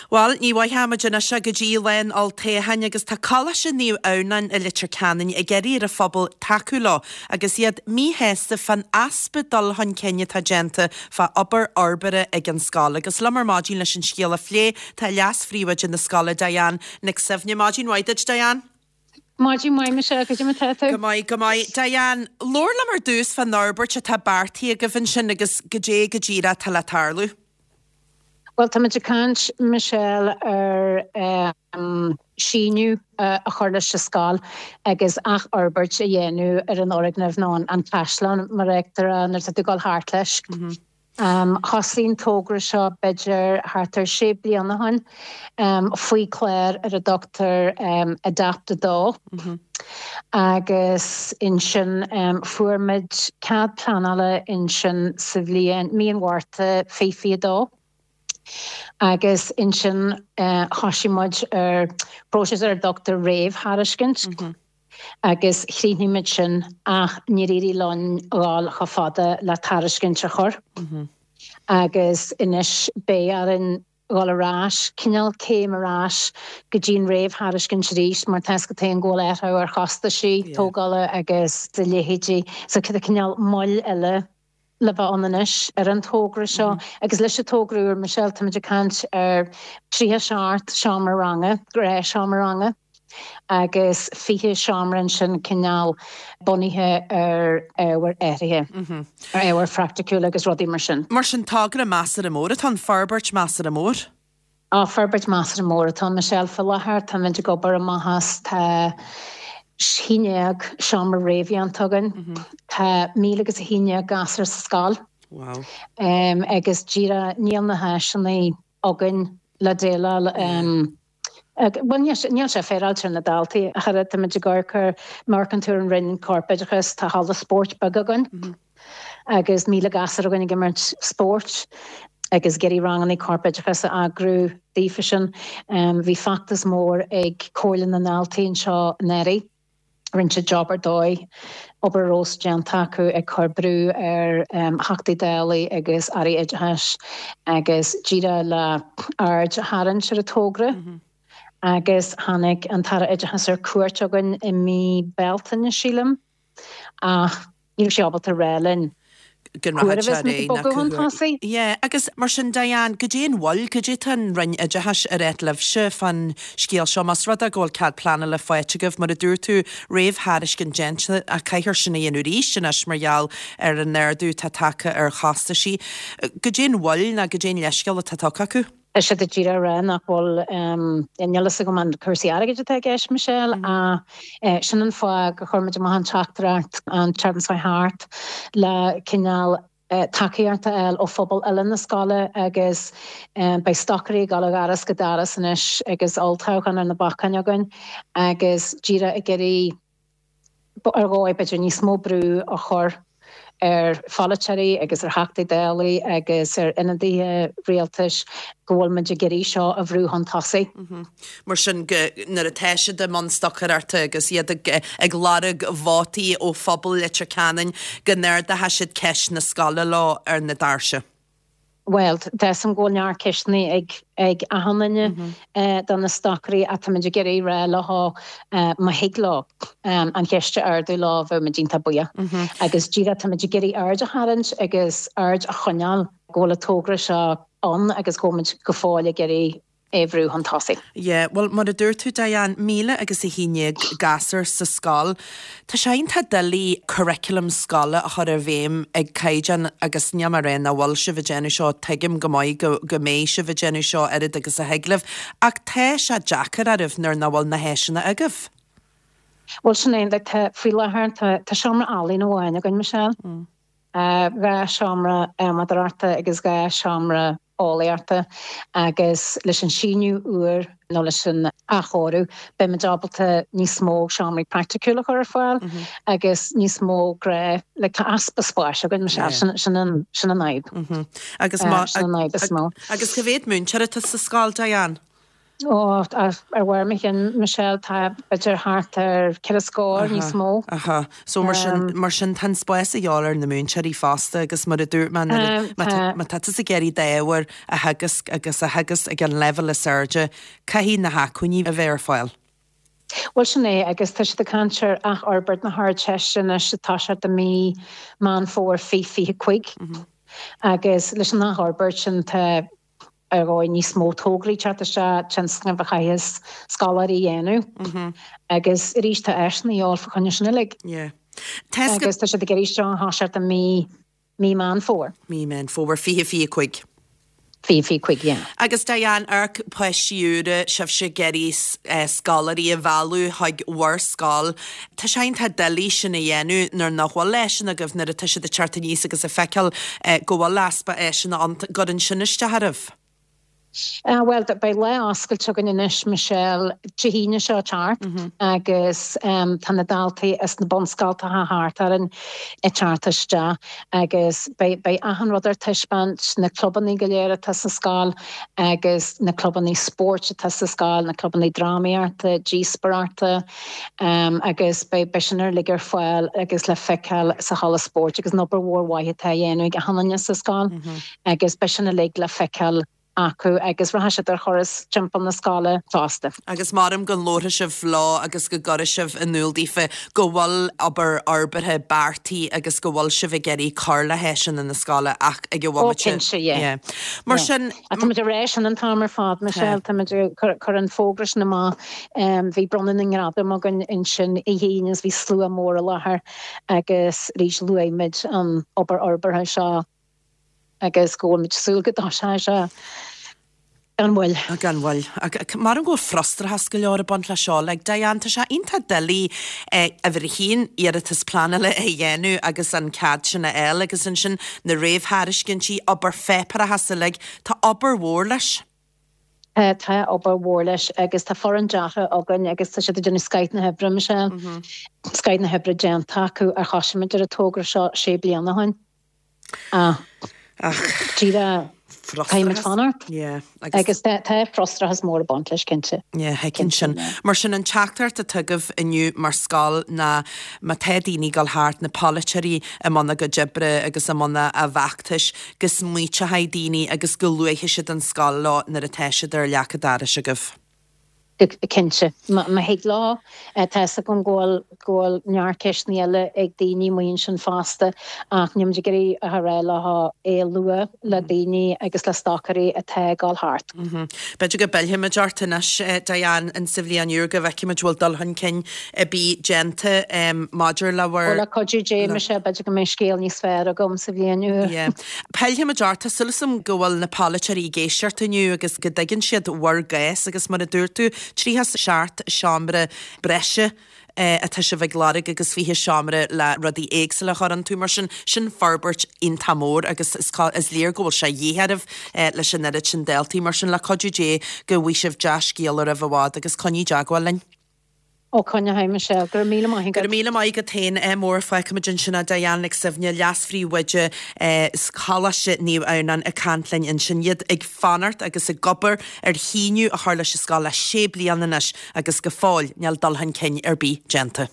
Bhuel, ní bhogfaimid anois go dtí lá an olltoghcháin agus tá Coláiste Naomh Adhamhnáin i Leitir Ceanainn ag iarraidh ar an phobal tacú leo agus iad míshásta fán easpa dul chun cinn atá déanta fá obair fhorbartha ag an scoil. Agus liom ar maidin leis an scéal a phlé tá leas-phríomhoide na scoile, Diane Nic Suibhne. Maidin mhaith duit, Diane. Maidin mhaith, Michelle, cad é mar atá tú? Go maith, go maith. Diane, labhair liom ar dtús fán fhorbairt atá beartaithe agaibh ansin agus goidé go díreach atá le tarlú. Bhuel, táimid ag caint, Michelle, ar síneadh a chur leis an scoil agus athfhorbairt a dhéanamh ar an fhoirgneamh nó an caisleán, mar a fheictear é nuair atá tú ag dul thart leis. Thosaigh an togra seo b'fhéidir thart ar sé bliana ó shin faoi chlár ar a dtugtar Adapt 2 agus ansin fuair muid cead pleanála ansin sa bhliain, mí an Mhárta 2022 agus ansin thosaigh muid ar phróiseas ar a dtugtar réamhthairiscint agus chríochnaigh muid sin ach níor éirigh linn dhul chomh fada le tairiscint a chur agus anois beidh orainn dhul ar ais, cineál céim ar ais go dtí an réamhthairiscint arís mar tá a fhios agat go bhfuil athrú ar chostaisí tógála agus a leithéidí. So tá cineál moill eile le bheith ann anois ar an togra seo. Agus leis an togra úr, Michelle, táimid ag caint ar 37 seomra ranga, gnáthsheomra ranga. agus 20 seomra ansin cineál bunaithe ar ábhair áirithe, ar ábhair phraiticiúla agus rudaí mar sin. Mar sin, togra measartha mór atá ann, forbairt measartha mór? Á, forbairt measartha mór atá ann, Michelle. Faoi láthair táimid ag obair amach as, tá 11 seomra réamhdhéanta againn, tá 1,011 gasúr sa scoil. Wow. Agus díreach níl na háiseanna againn le déileáil. Bhuel, níl sé féaráilte ar na daltaí ach oiread. Táimid ag amharc ar, má amharcann tú ar an Roinn Corpoideachais, tá halla spóirt beag againn agus 1,000 gasúr againn ag imirt spóirt agus ag iarraidh ranganna corpoideachais a eagrú daofa sin. Bhí feachtas mór ag Comhairle na nDaltaí anseo anuraidh. Rinne siad job ar dóigh, obair ar fheabhas déanta acu ag cur brú ar Theachtaí Dála agus Airí Oideachais agus díreach le aird a tharraingt ar an togra agus tháinig an tAire Oideachais ar cuairt chugainn i mí Bealtaine, sílim, ach ní raibh sé ábalta a rá linn go cá huair a bheas muid ag bogadh chun tosaigh. Yeah, agus mar sin Diane, goidé an mhoill, goidé tá an Roinn Oideachais a ráit libhse fán scéal seo, más rud é go bhfuil cead pleanála faighte agaibh, mar a dúirt tú, réamhthairiscint déanta ach caithfear sin a dhéanamh arís anois mar gheall ar an ardú atá tagtha ar chostaisí. Goidé an mhoill nó goidé an leithscéal atá tugtha acu? Tá siad ag díreach a rá nach bhfuil, níl a fhios agam an cúrsaí airgid atá i gceist, Michelle, ach sin an fáth gur chuir muid amach an teachtaireacht an tseachtain seo thart le cineál tacaíocht a fháil ó phobal uile na scoile agus beidh stocairí ag dul ó dhoras go doras anois agus olltoghchán ar na bacáin againn agus díreach ag iarraidh ar dhóigh, b'fhéidir, níos mó brú a chur ar pholaiteoirí agus ar Theachtaí Dála agus ar ionadaithe rialtais go bhfuil muid ag iarraidh seo a bhrú chun tosaigh. Mar sin, go, nuair atá siad i mbun stocaireachta agus iad ag, ag lorg vótaí ó phobal Leitir Ceanainn, go n-ardóidh siad ceist na scoile leo ar na doirse. Bhuel, tá 'fhios a'm go bhfuil neart ceisteanna ag ag achan duine do na stocairí ach táimid ag iarraidh rá leo má thig leo an cheist a ardú leo bheadh muid iontach buíoch. Agus díreach táimid ag iarraidh aird a tharraingt agus aird a choinneáil go bhfuil an togra seo ann agus go bhfuil muid go fóill ag iarraidh é a bhrú chun tosaigh. Yeah, bhuel, mar a dúirt tú, Diane, 1,011 gasúr sa scoil. Tá sé iontach doiligh curriculum scoile a chur i bhfeidhm ag caighdeán agus níl mé ag rá nach bhfuil sibh ag déanamh seo, tuigim go maith go, go mbeidh sibh ag déanamh seo oiread agus a thig libh, ach tá sé deacair oraibh nuair nach bhfuil na háiseanna agaibh. Bhuel, sin é, like, tá, faoi láthair, tá, tá seomra ealaíon amháin againn, Michelle. 2 seomra adhmadóireachta agus 2 seomra eolaíochta agus leis an síneadh úr nó leis an athchóiriú beimid ábalta níos mó seomraí praiticiúla a chur ar fáil agus níos mó gnáth, like tá easpa spáis againn Michelle, sin sin an sin an fhadhb. Agus má Sin an fhadhb is mó. Agus cá mhéad múinteoir atá sa scoil, Diane? Ó, ar bharr mo chinn, Michelle, tá b'fhéidir thart ar 4 scór, níos mó. Aha. So mar sin, mar sin tá an spás a dhíobháil ar na múinteoirí fosta agus mar a dúirt mé, má tá tusa ag iarraidh d'ábhar a theagasc agus a theagasc ag an leibhéal is airde, caithfidh na hacmhainní a bheith ar fáil. Bhuel sin é, agus tá siad ag caint ar athfhorbairt na hArdteiste anois ag toiseacht i mí Meán Fómhair 2025 agus leis an athfhorbairt sin tá ar dhóigh níos mó tograí teacht isteach, tionscnaimh a chaithfeas scoláirí a dhéanamh agus arís tá áiseanna a dhíobháil fá choinne sin uilig. Agus tá siad ag iarraidh seo a thoiseacht i mí mí Meán Fómhair. Mí Meán Fómhair 2025. 2025, yeah. Agus Diane, amharc, páistí úra, sibhse ag iarraidh scoláirí a mhealladh chuig bhur scoil. Tá sé iontach doiligh sin a dhéanamh nuair nach bhfuil áiseanna agaibh, nuair atá siad ag teacht aníos agus ag feiceáil go bhfuil easpa áiseanna ann, gcuireann sin isteach oraibh? Bhuel, beidh lá oscailte againn anois, Michelle, Dé hAoine seo ag teacht agus tá na daltaí as na bunscoltacha thart orainn ag teacht isteach agus beidh beidh achan rud ar taispeáint, na clubanna go léir atá sa scoil agus na clubanna spóirt atá sa scoil, na clubanna drámaíochta, díospóireachta agus beidh beidh sin uilig ar fáil agus le feiceáil sa halla spóirt agus an obair mhór mhaith atá á dhéanamh ag achan duine sa scoil. Agus beidh sin uilig le feiceáil acu agus rachaidh siad ar thuras timpeall na scoile fosta. Agus maram go labharfaidh sibh leo agus go gcuirfidh sibh in iúl daofa go bhfuil obair fhorbartha beartaithe agus go bhfuil sibh ag iarraidh cur le háiseanna na scoile ach ag an Ó bhomaite. cinnte, yeah. Yeah. Mar sin. Ach táimid ag rá sin an t-am ar fad, Michelle, táimid ag cur an fógra sin amach. Bhí bronnadh na ngradam againn ansin oíche Aoine agus bhí slua mór i láthair agus arís luaigh muid an obair fhorbartha seo. agus go bhfuil muid ag súil go dtoiseoidh sé gan mhoill. Gan mhoill. Maram go bhfuil frustrachas go leor ag baint leis seo. Like, Diane, tá sé iontach doiligh uimhir a haon, iarratas pleanála a dhéanamh agus an cead sin a fháil agus ansin na réamhthairiscintí, obair pháipéarachas uilig. Tá obair mhór leis. Tá obair mhór leis agus tá foireann deartha againn agus tá siad ag déanamh scoith na hoibre, Michelle. Scoith na hoibre déanta acu ar thosaigh muid ar an togra seo sé bliana ó shin. Ach díreach caithfidh muid fanacht. Agus tá frustrachas mór ag baint leis, cinnte. Yeah, thuigfinn sin. Mar sin, an teachtaireacht atá agaibh inniu mar scoil ná má tá daoine ag dul thart, na polaiteoirí i mbun a gcuid oibre agus i mbun a bhfeachtais, go smaointeoidh daoine agus go luafaidh siad an scoil leo nuair atá siad ar leac an dorais agaibh. Cinnte. Má thig leo, tá fhios agam go bhfuil, go bhfuil neart ceisteanna eile ag daoine amuigh ansin fosta ach níl muid ag iarraidh ach a rá leo é a lua le daoine agus le stocairí atá ag dul thart. B'fhéidir go bpillfimid ort anois, Diane, in sa bhliain úr go bhfeicfimid bhfuil dul chun cinn ar bith déanta maidir le bhur. Ó le cuidiú Dé, Michelle, b'fhéidir go mbeidh scéal níos fearr agam sa bhliain úr. Yeah. Pillfimid ort, tá súil agam go bhfuil na polaiteoirí ag éisteacht inniu agus go dtuigeann siad bhur gcás agus mar a dúirt tú, 37 seomra breise atá sibh ag lorg agus 20 seomra le rudaí éagsúla a chur iontu, mar sin, sin forbairt iontach mór agus is léir go bhfuil sé de dhíth oraibh leis an oiread sin daltaí, mar sin le cuidiú Dé go bhfaighidh sibh dea-scéala roimh i bhfad agus coinnigh i dteagmháil linn. Ó, coinneoidh, Michelle. Go raibh míle maith agat. Go raibh míle maith agat féin, Máire. Fágfaimid ansin é Diane Nic Suibhne, Leas-Phríomhoide Choláiste Naomh Adhamhnáin ag caint linn ansin. Iad ag fanacht agus ag obair ar shíneadh a chur leis an scoil le sé bliana anois agus go fóill níl dul chun cinn ar bith déanta.